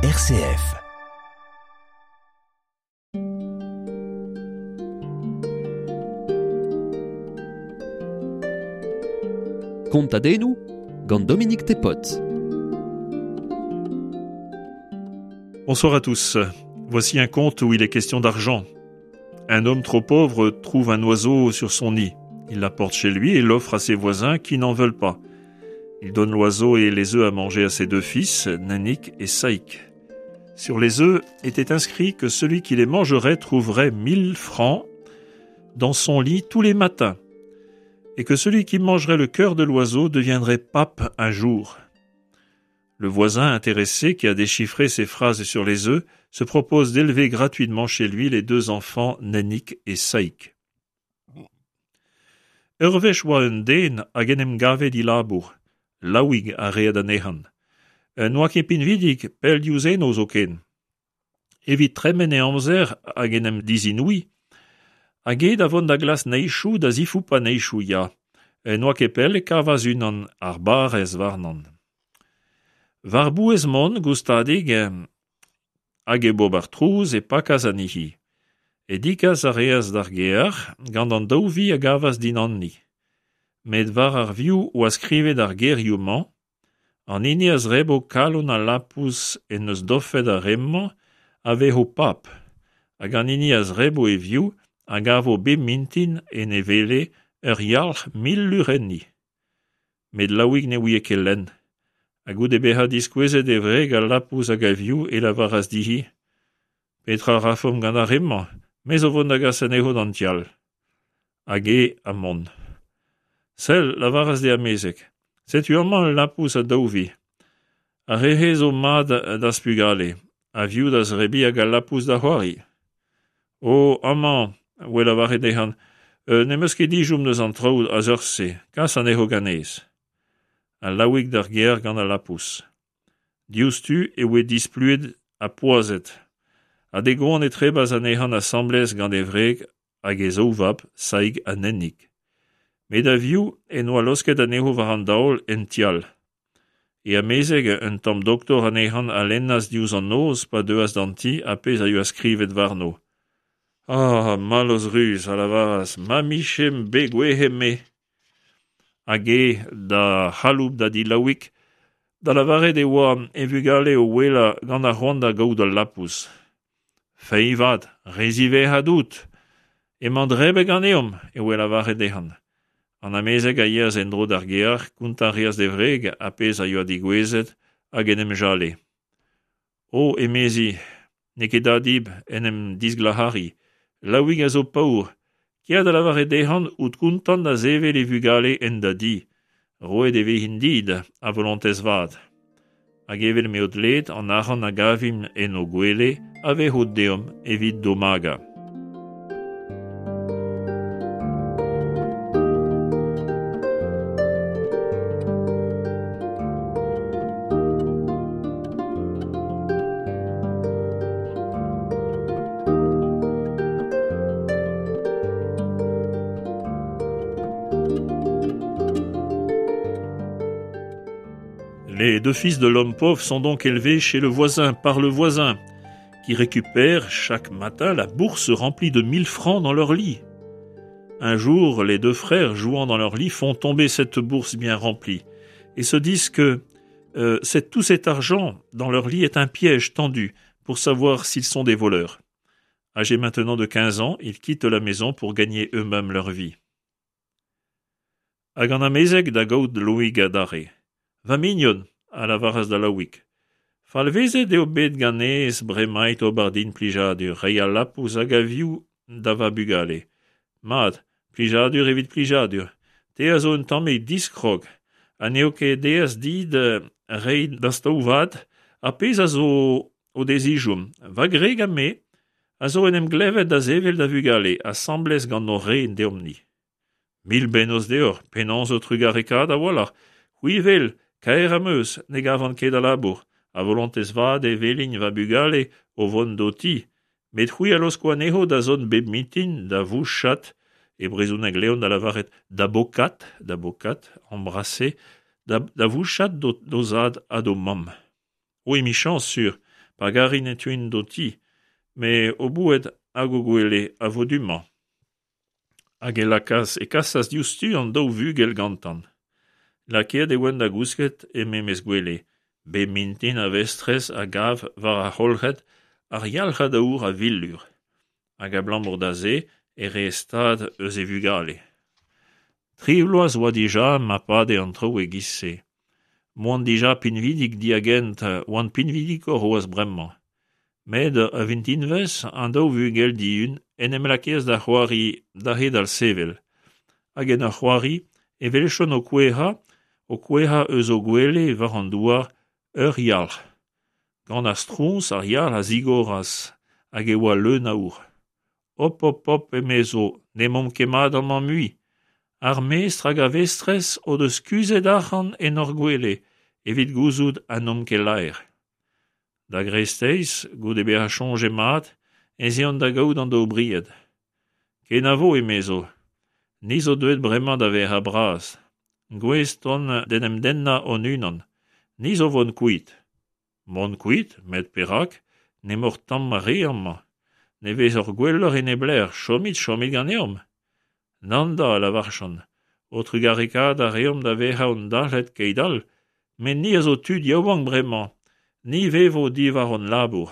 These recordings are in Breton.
RCF. Kontadennoù gant Dominique Tepot. Bonsoir à tous. Voici un conte où il est question d'argent. Un homme trop pauvre trouve un oiseau sur son nid. Il l'apporte chez lui et l'offre à ses voisins qui n'en veulent pas. Il donne l'oiseau et les œufs à manger à ses deux fils, Nanik et Saïk. Sur les œufs était inscrit que celui qui les mangerait trouverait mille francs dans son lit tous les matins, et que celui qui mangerait le cœur de l'oiseau deviendrait pape un jour. Le voisin intéressé qui a déchiffré ces phrases sur les œufs se propose d'élever gratuitement chez lui les deux enfants Nennik et Saïk. Ur wech oa un den hag en em gave dilabour, Laouig a reed anezhan. N'oa ket pinvidik, pell diouzh eno zoken. Evit tremen e amzer hag en em dizinouiñ, hag eo da vont da glask neizhoù da zifoupañ neizhoù ya. N'oa ket pell e kavas unan ar barrez warnan. War-bouez mont, goustadik, hag hep ober trouz e pakas anezhi. E dikas a reas d'ar gêr gant an daou vi a gavas dindanni. Met war ar vioù oa skrivet ar gerioù-mañ, An hini a zrebo kalon al lapous en deus dofet ar re-mañ a vezo pab, hag an hini a zrebo e vioù a gavo bep mintin en e wele ur yalc'h mil lur enni. Met Laouig ne ouie ket lenn, ha goude bezañ diskouezet e wreg al lapous hag a vioù e lavaras dezhi Petra a rafomp gant ar re-mañ? Me zo vont da gas anezho d'an ti all. Hag eo ha mont. Sell, lavaras d'e amezeg, setu amañ ul lapous ha daou vi. Ar re-se zo mat d'az pugale, a vioù da zebriñ hag al lapous da c'hoari. O, amañ, 'oe lavaret dezhañ, n'em eus ket dijomm deus an traoù a seurt-se, kas anezho ganez. Ha Laouig d'ar gêr gant al lapous. Diouzhtu e voe displuet ha poazhet, ha d'e goan e trebas anezhañ asambles gant e wreg hag e zaou vab, Saig ha Nennig. Met a-viv en doa laosket anezho war an daol en ti all. E amezeg, un tamm doktor anezhañ a lennas diouzh an noz pa deuas d'an ti ar pezh a yoa skrivet warno. Ah, mallozh ruz, a lavaras, ma 'mije bet gouezet-me! Hag eo da c'haloup da di Laouig da lavaret e oa e vugale o ouelañ gant ar c'hoant da gaout al lapous. Feiz 'vat, re ziwezhat out. Emañ drebet ganeomp, e oe lavaret dezhañ. An amezeg a yeas en-dro d'ar gêr, kontañ a reas d'e wreg ar pezh a yoa degouezhet hag en em jale. O, emezi, n'eo ket da dit en em disglac'hariñ. Laouig a zo paour. Kea da lavaret dezhañ out kontant da sevel e vugale en da di. Roet e vezint dit a volontez vat. Hag evel m'eo dleet an arc'hant a gavimp en o gwele a vezo deomp evit d'o magañ. Les deux fils de l'homme pauvre sont donc élevés chez le voisin par le voisin, qui récupère chaque matin la bourse remplie de mille francs dans leur lit. Un jour, les deux frères jouant dans leur lit font tomber cette bourse bien remplie et se disent que euh, tout cet argent dans leur lit est un piège tendu pour savoir s'ils sont des voleurs. Âgés maintenant de 15 ans, ils quittent la maison pour gagner eux-mêmes leur vie. Hag an amezeg da gaout Loig adarre. Va mignon, a lavaras da Laouig, falvezet eo bet ganez bremaik ober din plijadur, reiñ al lapous hag a vioù da va bugale. Mat, plijadur evit plijadur. Te a zo un tammig diskrog, ha n'eo ket aes dit reiñ d'az taou vat ar pezh a zo o dezijomp. Va gwreg ha me a zo en em glevet da sevel da vugale asambles gant hor re deomp-ni. Mil bennozh deoc'h, penaos ho trugarekaat a-walc'h. C'hwi 'wel, kaer am eus, ne gavan ket a labour. A volontez vat e welin va bugale o vont d'ho ti. Met c'hwi a laosko anezho da zont bep mintin da vouchat, e brezhoneg Leon da lavaret da bokat, da bokat, embrasser, da, da vouchat d'o zad ha d'o mamm. O emichañs sur, Pa garin e teuin d'ho ti, met o boued hag o gwele a vo du-mañ. Hag e lakaas e kasas diouzhtu an daou vugel gantan. Lakaet e oant da gousket e memes gwele. Bep mintin ar vestrez a gav war ar c'holc'hed ar yalc'had aour a vil lur. Hag abalamour da se e rae stad eus e vugale. Tri bloaz oa dija ma pade an traoù e-giz-se. M'oant dija pinvidik diagent oant pinvidikoc'h c'hoazh bremañ. Met ur vintinvezh an daou vugel dihun en em lakaas da c'hoari da c'hedal sevel. Hag en ur c'hoari e weljont o kouezhañ o kouezhañ eus o gwele war an douar ur yalc'h. Gant ar stroñs ar yalc'h a zigoras hag e oa leun aour. Hop hop hop emezo n'emaomp ket mat amañ mui. Ar mestr hag ar vestrez o deus kuzhet arc'hant en hor gwele evit gouzout ha n'omp ket laer. Da greisteiz, goude bezañ soñjet mat, ez eont da gaout an daou bried. Kenavo, emezo, ni zo deuet bremañ da vezañ bras. Gouest on d'en em dennañ hon-unan. Ni zo 'vont kuit. Mont kuit, met perak? N'emaoc'h tamm re amañ. Ne vezoc'h gwelloc'h e nep lec'h, chomit, chomit ganeomp. Nann da, a lavarjont, ho trugarekaat a reomp da vezañ hon dalc'het keit-all, met ni a zo tud yaouank bremañ, ni 'vevo diwar hon labour.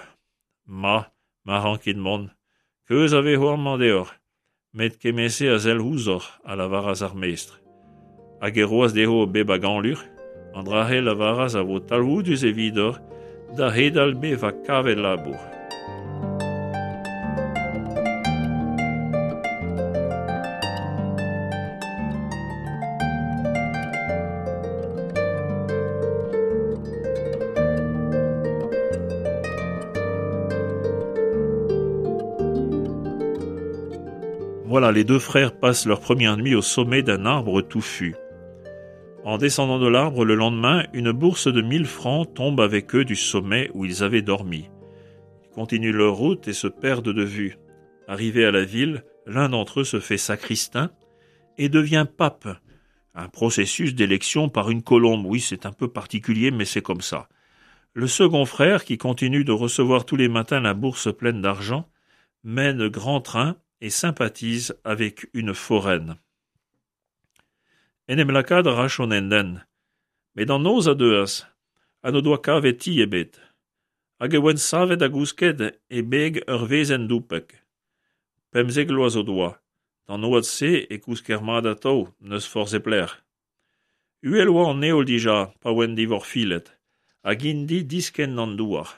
Ma, ma rankit mont, keuz a vezo amañ deoc'h. Met kement-se a sell ouzhoc'h, a lavaras ar mestr. Hag e roas dezho bep a gañlur. An dra-se lavaras a vo talvoudus evidoc'h da c'hedal bevañ kavet labour. Voilà, les deux frères passent leur première nuit au sommet d'un arbre touffu. En descendant de l'arbre le lendemain, une bourse de mille francs tombe avec eux du sommet où ils avaient dormi. Ils continuent leur route et se perdent de vue. Arrivés à la ville, l'un d'entre eux se fait sacristain et devient pape. Un processus d'élection par une colombe, oui, c'est un peu particulier, mais c'est comme ça. Le second frère, qui continue de recevoir tous les matins la bourse pleine d'argent, mène grand train et sympathise avec une foraine. En em lakaat a rajont en hent, met an noz a deuas, ha n'o doa kavet ti ebet. Hag e oant savet da gousket e beg ur wezenn doupek. 15 vloaz o doa. D'an oad-se e kousker mat atav, n'eus forzh e pelec'h. Uhel oa an heol dija pa oant divorfilet, hag int-i diskenn d'an douar.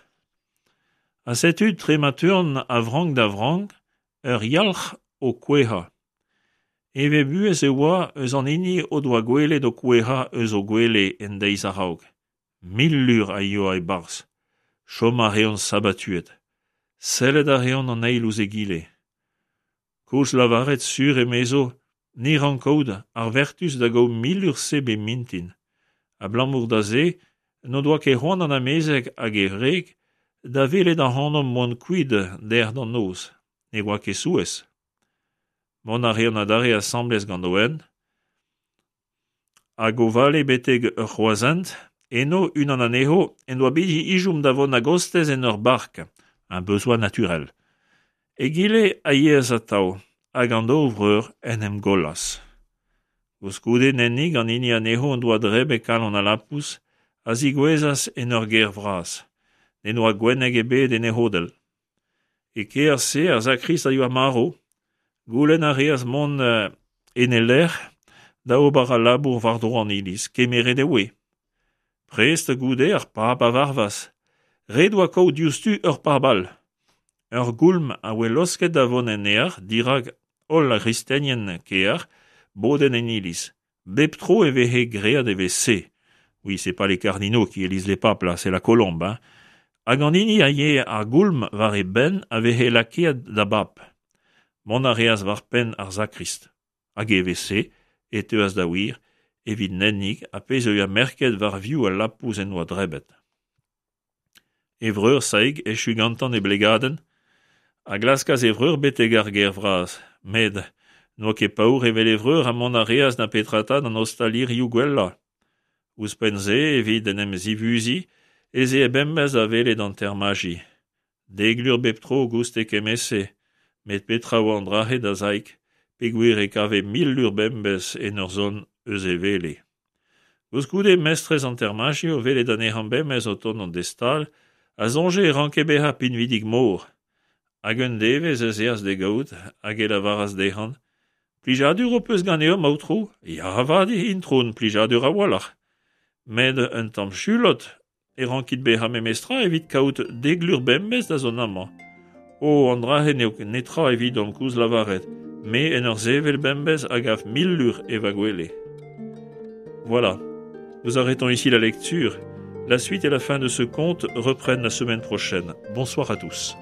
Ha setu tre ma teuont a vrank da vrank, ur yalc'h o kouezhañ. Heñvel-buhez e oa eus an hini o doa gwelet o kouezhañ eus o gwele en deiz a-raok. 1000 lur a yoa e-barzh. Chom a reont sabatuet. Sellet a reont an eil ouzh egile. Koulz lavaret sur emezo, ni 'rank kaout ar vertuz da gaout 1000 lur-se bep mintin. Abalamour da se n'o doa ket c'hoant an amezeg hag e wreg da welet ac'hanomp mont kuit dec'h d'an noz. Ne oa ket souezh. Mont a reont adarre asambles gant o hent hag o vale betek ur c'hroazhent, eno unan anezho en doa bet ezhomm da vont a-gostez en ur bark, un besoin naturel. Egile a yeas atav hag an daou vreur en em gollas. Koulskoude Nennig, an hini anezho en doa drebet kalon al lapous, a zigouezhas en ur gêr vras. N'en doa gwenneg ebet en e c'hodell. E kêr-se ar sakrist a yoa marv. Goulenn a reas mont en e lec'h da ober al labour war-dro an iliz. Kemeret e voe. Prest goude ar pab a varvas. Ret oa kaout diouzhtu ur pab all. Ur goulm a voe laosket da vont en aer dirak holl ar gristenien kêr bodet en iliz. Bep tro e veze graet evel-se. Oui, c'est pas les cardinaux qui élisent les papes, là, c'est la colombe, hein. Hag an hini a yee ar goulm war e benn a veze lakaet da bab. Mont a reas war penn ar sakrist. Hag evel-se e teuas da wir evit Nennig ar pezh a oa merket war vioù al lapous en doa drebet. E vreur Saig, echu gantañ e blegadenn, a glaskas e vreur betek ar gêr vras, met n'oa ket paour evel e vreur ha mont a reas na petra 'ta d'an ostalirioù gwellañ. Ouzhpenn-se, evit en em zivuziñ, ez ee bemdez da welet an termaji. Dek lur bep tro 'gouste kement-se, met petra 'oa an dra-se da Saig peogwir e kave 1000 lur bemdez en ur zont eus e wele. Koulskoude mestrez an termaji o welet anezhañ bemdez o tont d'e stal a soñje e ranke bezañ pinvidik-mor. Hag un devezh ez eas d'e gaout hag e lavaras dezhañ Plijadur ho peus ganeomp, aotrou? Ya avat, intron, plijadur a-walc'h. Met un tamm chulot e rankit bezañ memestra evit kaout dek lur bemdez da zont amañ. O, an dra-se n'eo netra evidomp koulz lavaret, me en ur sevel bemdez a gav 1000 lur e va gwele. Voilà, nous arrêtons ici la lecture. La suite et la fin de ce conte reprennent la semaine prochaine. Bonsoir à tous.